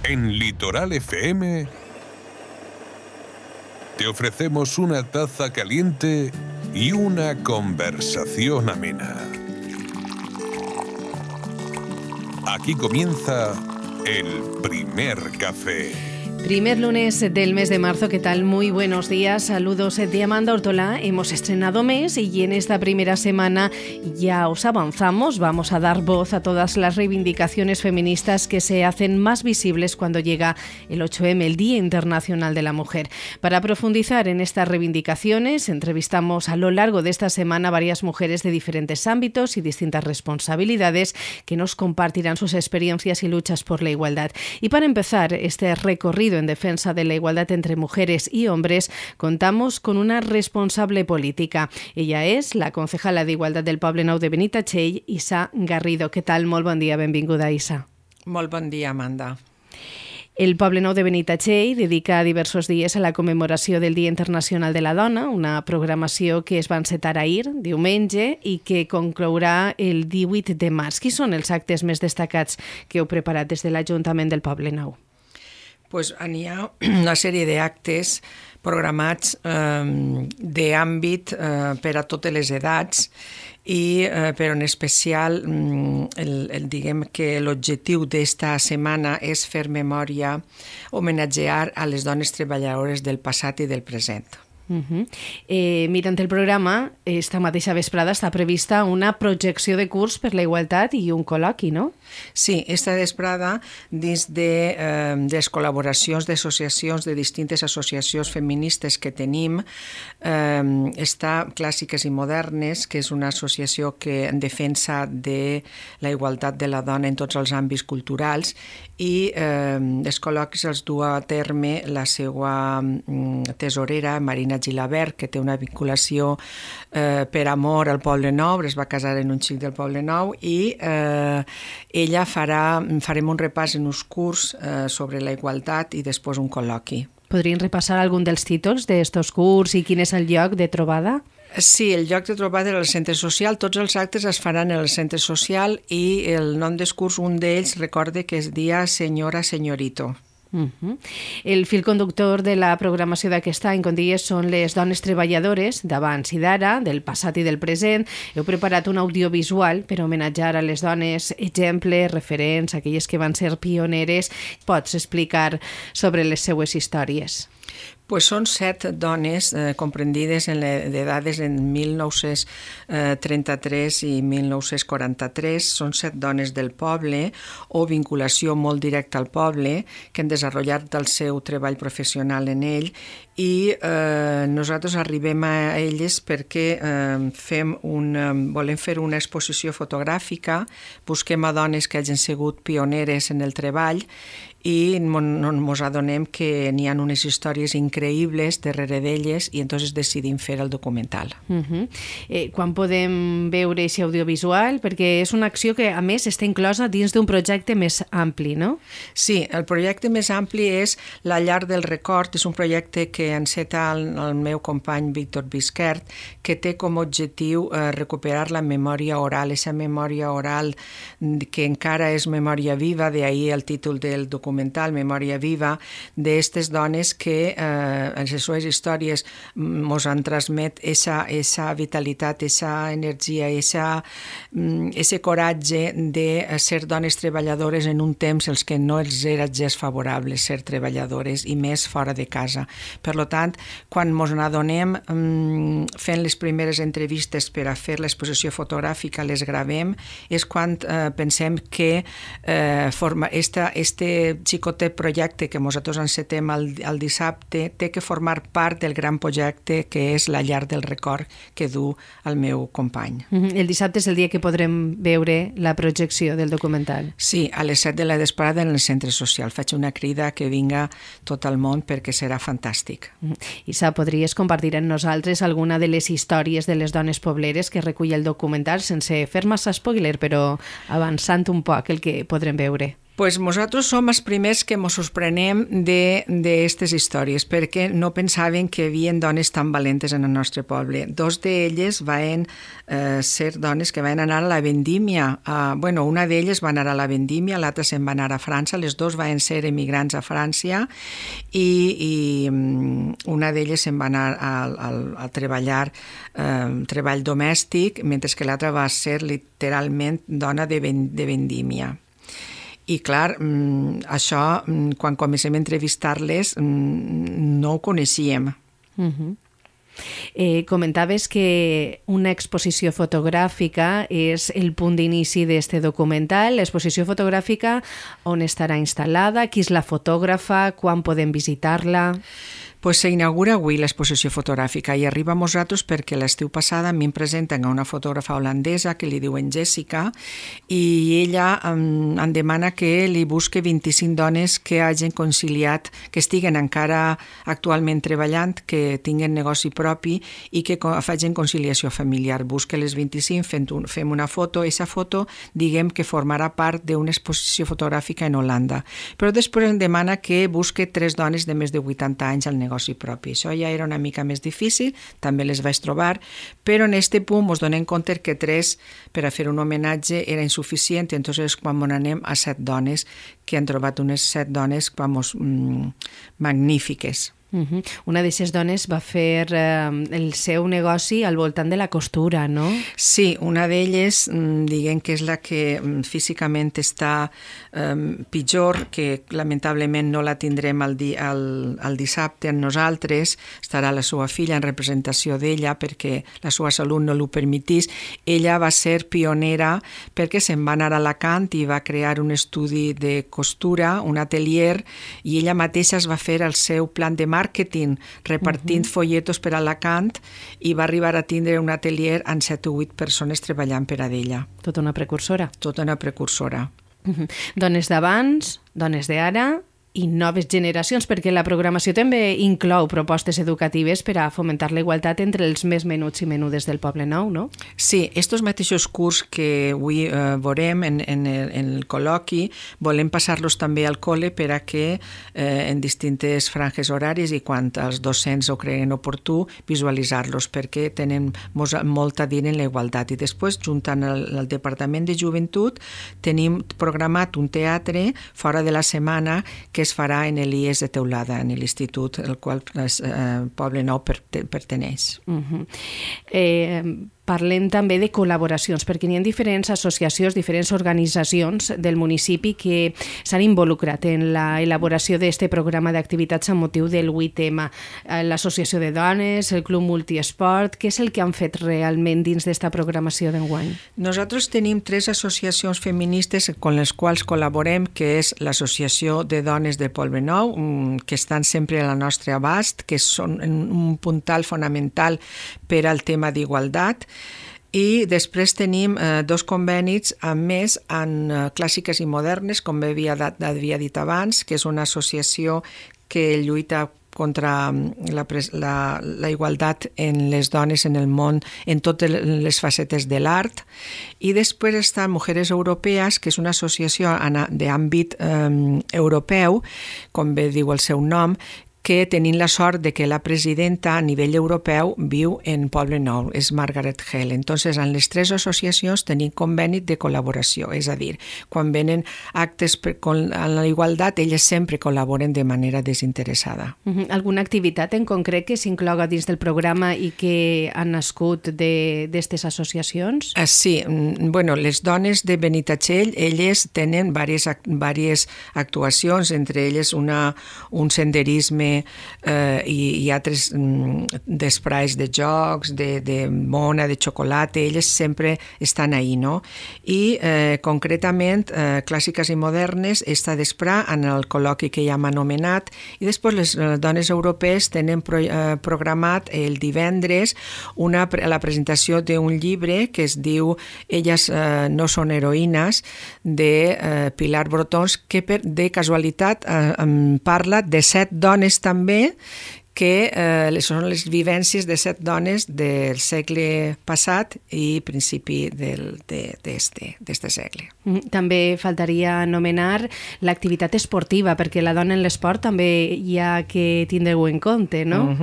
En Litoral FM te ofrecemos una taza caliente y una conversación amena. Aquí comienza el primer café. Primer lunes del mes de marzo, ¿qué tal? Muy buenos días, saludos de Amanda Ortola. Hemos estrenado mes y en esta primera semana ya os avanzamos. Vamos a dar voz a todas las reivindicaciones feministas que se hacen más visibles cuando llega el 8M, el Día Internacional de la Mujer. Para profundizar en estas reivindicaciones, entrevistamos a lo largo de esta semana a varias mujeres de diferentes ámbitos y distintas responsabilidades que nos compartirán sus experiencias y luchas por la igualdad. Y para empezar este recorrido en defensa de la igualdad entre mujeres y hombres, contamos con una responsable política. Ella es la concejala de Igualdad del Poblenou de Benitatxell, Isa Garrido. Què tal? Molt bon dia, benvinguda, Isa. Molt bon dia, Amanda. El Poblenou de Benitatxell dedica diversos dies a la commemoració del Dia Internacional de la Dona, una programació que es va encetar ahir, diumenge, i que conclourà el 18 de març. Quins són els actes més destacats que heu preparat des de l'Ajuntament del Poblenou? Pues n'hi ha una sèrie d'actes programats d'àmbit per a totes les edats i però en especial diguem que l'objectiu d'esta setmana és fer memòria, homenatjar a les dones treballadores del passat i del present. Mirant el programa, esta mateixa vesprada està prevista una projecció de curs per la igualtat i un col·loqui, no? Sí, esta vesprada, dins de les col·laboracions d'associacions, de distintes associacions feministes que tenim, està Clàssiques i Modernes, que és una associació que en defensa de la igualtat de la dona en tots els àmbits culturals, i els col·loquis els du a terme la seva tesorera, Marina Gilabert, que té una vinculació per amor al Poblenou, es va casar en un xic del Poblenou, i ella farem un repàs en uns curs sobre la igualtat i després un col·loqui. Podrien repassar algun dels títols d'estos curs i quin és el lloc de trobada? Sí, el lloc de trobada era el centre social. Tots els actes es faran en el centre social i el nom del curs, un d'ells, recorde que es dia Senyora Senyorito. El fil conductor de la programació d'aquest any, com deies, són les dones treballadores d'abans i d'ara, del passat i del present. Heu preparat un audiovisual per homenatjar a les dones exemples, referents, aquelles que van ser pioneres. Pots explicar sobre les seues històries? Pues són 7 dones comprendides d'edades en 1933 i 1943. Són 7 dones del poble o vinculació molt directa al poble que han desenvolupat el seu treball professional en ell, i nosaltres arribem a elles perquè volem fer una exposició fotogràfica, busquem a dones que hagin sigut pioneres en el treball i ens adonem que n'hi ha unes històries increïbles darrere d'elles i entonces decidim fer el documental. Quan podem veure aquest audiovisual? Perquè és una acció que a més està inclosa dins d'un projecte més ampli, no? Sí, el projecte més ampli és La Llar del Record, és un projecte que enceta el meu company Víctor Bisquert, que té com a objectiu recuperar la memòria oral, aquesta memòria oral que encara és memòria viva, d'ahir el títol del documental, Memòria Viva, d'aquestes dones que en les seves històries ens han transmet aquesta vitalitat, aquesta energia, aquest coratge de ser dones treballadores en un temps els que no els era gens favorable ser treballadores i més fora de casa. Per tant, quan ens n'adonem fent les primeres entrevistes per a fer l'exposició fotogràfica, les gravem, és quan pensem que este xicotet projecte que nosaltres encetem el dissabte té que formar part del gran projecte que és La Llar del Record que du el meu company. El dissabte és el dia que podrem veure la projecció del documental. Sí, a les 7 de la vesprada en el centre social. Faig una crida que vinga tot el món perquè serà fantàstic. Isa, podries compartir amb nosaltres alguna de les històries de les dones pobleres que recull el documental sense fer massa spoiler, però avançant un poc el que podrem veure? Pues nosaltres som els primers que ens sorprenem d'aquestes històries, perquè no pensaven que hi havia dones tan valentes en el nostre poble. Dos d'elles van ser dones que van anar a la vendímia. Una d'elles va anar a la vendímia, l'altra se'n va anar a França, les dues van ser emigrants a França i una d'elles se'n va anar a treballar treball domèstic, mentre que l'altra va ser literalment dona de vendímia. I clar, això, quan comencem a entrevistar-les, no ho coneixíem. Comentaves que una exposició fotogràfica és el punt d'inici d'este documental. L'exposició fotogràfica, on estarà instal·lada? Qui és la fotògrafa? Quan podem visitar-la? Pues s'inaugura avui l'exposició fotogràfica i arriba a nosaltres perquè l'estiu passada a mi em presenten a una fotògrafa holandesa que li diuen Jessica i ella em demana que li busque 25 dones que hagin conciliat, que estiguen encara actualment treballant, que tinguen negoci propi i que facin conciliació familiar. Busca les 25, fem una foto, i aquesta foto diguem que formarà part d'una exposició fotogràfica en Holanda. Però després em demana que busque 3 dones de més de 80 anys al negoci propi. Això ja era una mica més difícil, també les vaig trobar, però en aquest punt ens donem compte que 3 per a fer un homenatge era insuficient, i entonces quan anem a 7 dones, que han trobat unes 7 dones magnífiques. Una d'aquestes dones va fer el seu negoci al voltant de la costura, no? Sí, una d'elles, diguem que és la que físicament està pitjor, que lamentablement no la tindrem el dissabte amb nosaltres, estarà la seva filla en representació d'ella perquè la seva salut no l'ho permetís. Ella va ser pionera perquè se'n va anar a Alacant i va crear un estudi de costura, un atelier, i ella mateixa es va fer el seu plan de màrqueting repartint folletos per Alacant i va arribar a tindre un atelier amb 7 o 8 persones treballant per a ella. Tota una precursora. Tota una precursora. Dones d'abans, dones d'ara i noves generacions, perquè la programació també inclou propostes educatives per a fomentar la igualtat entre els més menuts i menudes del Poble Nou, no? Sí, estos mateixos curs que avui veurem en el col·loqui, volem passar-los també al col·le per a que en distintes franges horàries i quan els docents ho creguin oportú, visualitzar-los, perquè tenen molt a dir en la igualtat. I després, juntant el Departament de Joventut, tenim programat un teatre fora de la setmana que es farà en l'IES de Teulada, en l'institut al qual el Poble Nou perteneix. Parlem també de col·laboracions, perquè n'hi ha diferents associacions, diferents organitzacions del municipi que s'han involucrat en la elaboració d'aquest programa d'activitats amb motiu del 8M. L'Associació de Dones, el Club Multiesport, què és el que han fet realment dins d'esta programació d'enguany? Nosaltres tenim 3 associacions feministes amb les quals col·laborem, que és l'Associació de Dones del Poble Nou, que estan sempre a la nostra abast, que són un puntal fonamental per al tema d'igualtat. I després tenim 2 convenis més en clàssiques i modernes, com havia dit abans, que és una associació que lluita contra la igualtat en les dones en el món, en totes les facetes de l'art. I després està Mujeres Europees, que és una associació d'àmbit europeu, com bé diu el seu nom, que tenint la sort de que la presidenta a nivell europeu viu en Poble Nou, és Margaret Hale. Entonces, en les 3 associacions tenim conveni de col·laboració, és a dir, quan venen actes en la igualtat, elles sempre col·laboren de manera desinteressada. Alguna activitat en concret que s'incloga dins del programa i que han nascut d'aquestes associacions? Sí, les dones de Benitatxell, elles tenen diverses actuacions, entre elles un senderisme i altres d'esprais de jocs, de mona, de xocolata, elles sempre estan ahí, no? I concretament, clàssiques i modernes, està d'esprà en el col·loqui que ja hem anomenat, i després les dones europees tenen programat el divendres la presentació d'un llibre que es diu Elles no són heroïnes, de Pilar Brotons, que de casualitat parla de 7 dones també que són les vivències de 7 dones del segle passat i principi d'este segle. També faltaria anomenar l'activitat esportiva, perquè la dona en l'esport també hi ha que tindre-ho en compte, no?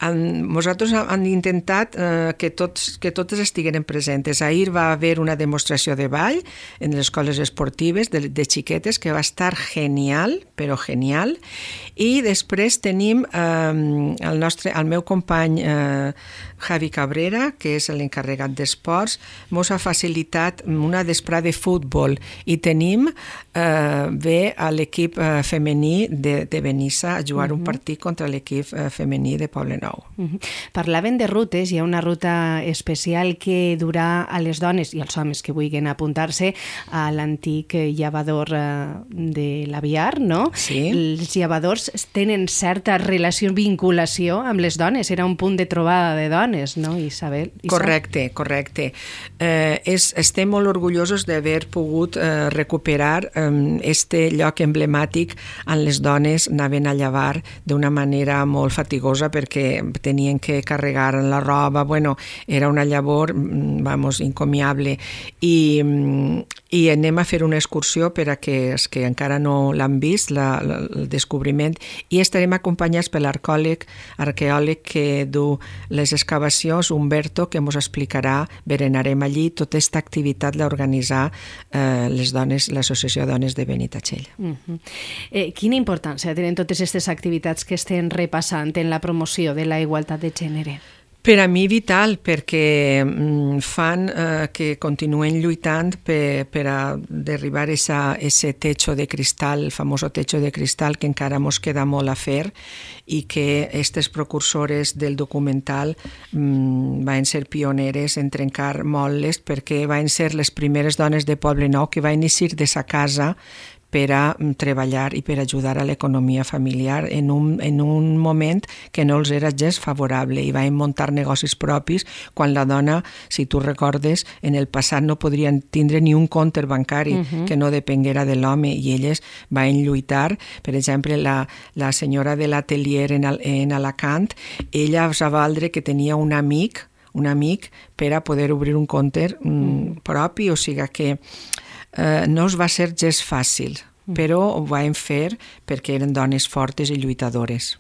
Nosaltres hem intentat que totes estigueren presentes. Ahir va haver una demostració de ball en les escoles esportives de xiquetes que va estar genial, però genial, i després tenim el meu company Javi Cabrera, que és l'encarregat d'esports, mos ha facilitat una vesprada de futbol i tenim ve a l'equip femení de Benissa a jugar un partit contra l'equip femení de Poblenou. Parlaven de rutes, hi ha una ruta especial que durà a les dones i als homes que vulguin apuntar-se a l'antic llevador de l'Aviar, no? Sí. Els llevadors tenen certa relació, vinculació amb les dones, era un punt de trobada de dones, no, Isabel? Correcte. Estem molt orgullosos d'haver pogut recuperar este lloc emblemàtic on les dones anaven a llevar d'una manera molt fatigosa perquè tenien que carregar la roba, era una llavor, encomiable, i anem a fer una excursió per a que els que encara no l'han vist, el descobriment, i estarem acompanyats per l'arqueòleg que du les excavacions, Humberto, que ens explicarà, berenarem allí, tota aquesta activitat l'ha organitzat les dones, l'Associació de Dones de Benitatxell. Quina importància tenen totes aquestes activitats que estem repassant en la promoció de la igualtat de gènere? Per a mi vital, perquè fan que continuen lluitant per a derribar ese techo de cristal, el famoso techo de cristal que encara mos queda molt a fer i que aquestes precursores del documental van ser pioneres en trencar moles perquè van ser les primeres dones de Poblenou que van eixir de sa casa per a treballar i per ajudar a l'economia familiar en un moment que no els era gens favorable i van muntar negocis propis quan la dona, si tu recordes, en el passat no podrien tindre ni un compte bancari que no depenguera de l'home i elles van lluitar. Per exemple, la senyora de l'atelier en Alacant, ella va valdre que tenia un amic per a poder obrir un compte propi, o sigui que no es va ser gens fàcil, però ho vam fer perquè eren dones fortes i lluitadores.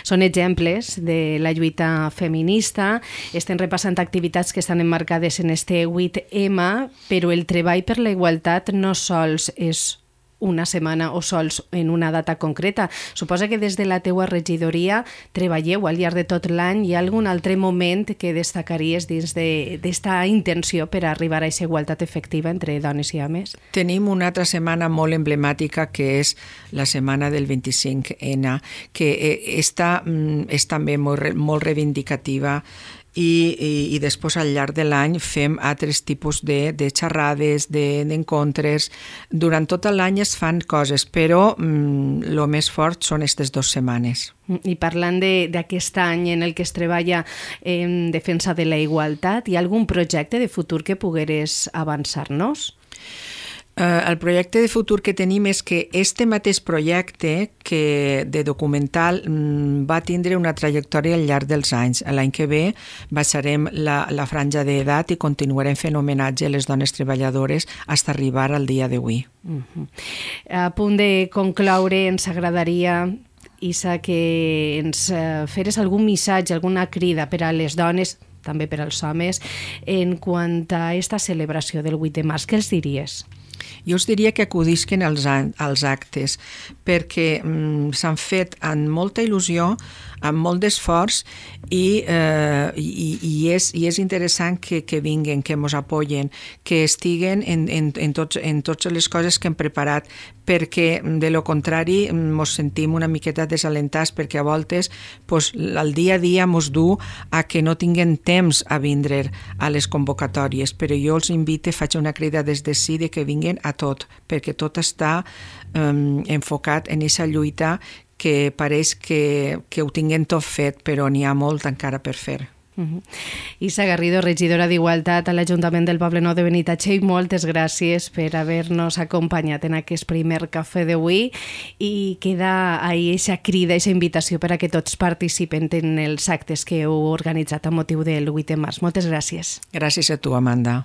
Són exemples de la lluita feminista. Estem repassant activitats que estan emmarcades en este 8M, però el treball per la igualtat no sols és una setmana o sols en una data concreta. Suposa que des de la teua regidoria treballeu al llarg de tot l'any. Hi ha algun altre moment que destacaries dins d'esta intenció per arribar a aquesta igualtat efectiva entre dones i homes? Tenim una altra setmana molt emblemàtica que és la setmana del 25N, que és també molt reivindicativa i després al llarg de l'any fem altres tipus de xerrades, d'encontres. Durant tot l'any es fan coses, però el més fort són aquestes 2 setmanes. I parlant d'aquest any en el que es treballa en defensa de la igualtat, hi ha algun projecte de futur que pogueres avançar-nos? El projecte de futur que tenim és que este mateix projecte de documental va tindre una trajectòria al llarg dels anys. L'any que ve baixarem la franja d'edat i continuarem fent homenatge a les dones treballadores fins a arribar al dia d'avui. A punt de concloure, ens agradaria, Isa, que ens feres algun missatge, alguna crida per a les dones, també per als homes, en quant a aquesta celebració del 8 de març. Què els diries? Jo us diria que acudisquen als actes, perquè s'han fet amb molta il·lusió, amb molt d'esforç i és interessant que vinguin, que ens apoyen, que estiguen en totes les coses que hem preparat, perquè de lo contrari ens sentim una miqueta desalentats perquè a voltes el dia a dia ens du a que no tinguem temps a vindre a les convocatòries, però jo els invito, faig una crida des de sí de que vinguin a tot, perquè tot està enfocat en aquesta lluita que pareix que ho tinguem tot fet, però n'hi ha molt encara per fer. Isa Garrido, regidora d'Igualtat a l'Ajuntament del Poblenou de Benitatxell, moltes gràcies per haver-nos acompanyat en aquest primer cafè d'avui i queda ahí eixa crida, eixa invitació per a que tots participen en els actes que heu organitzat a motiu del 8 de març. Moltes gràcies. Gràcies a tu, Amanda.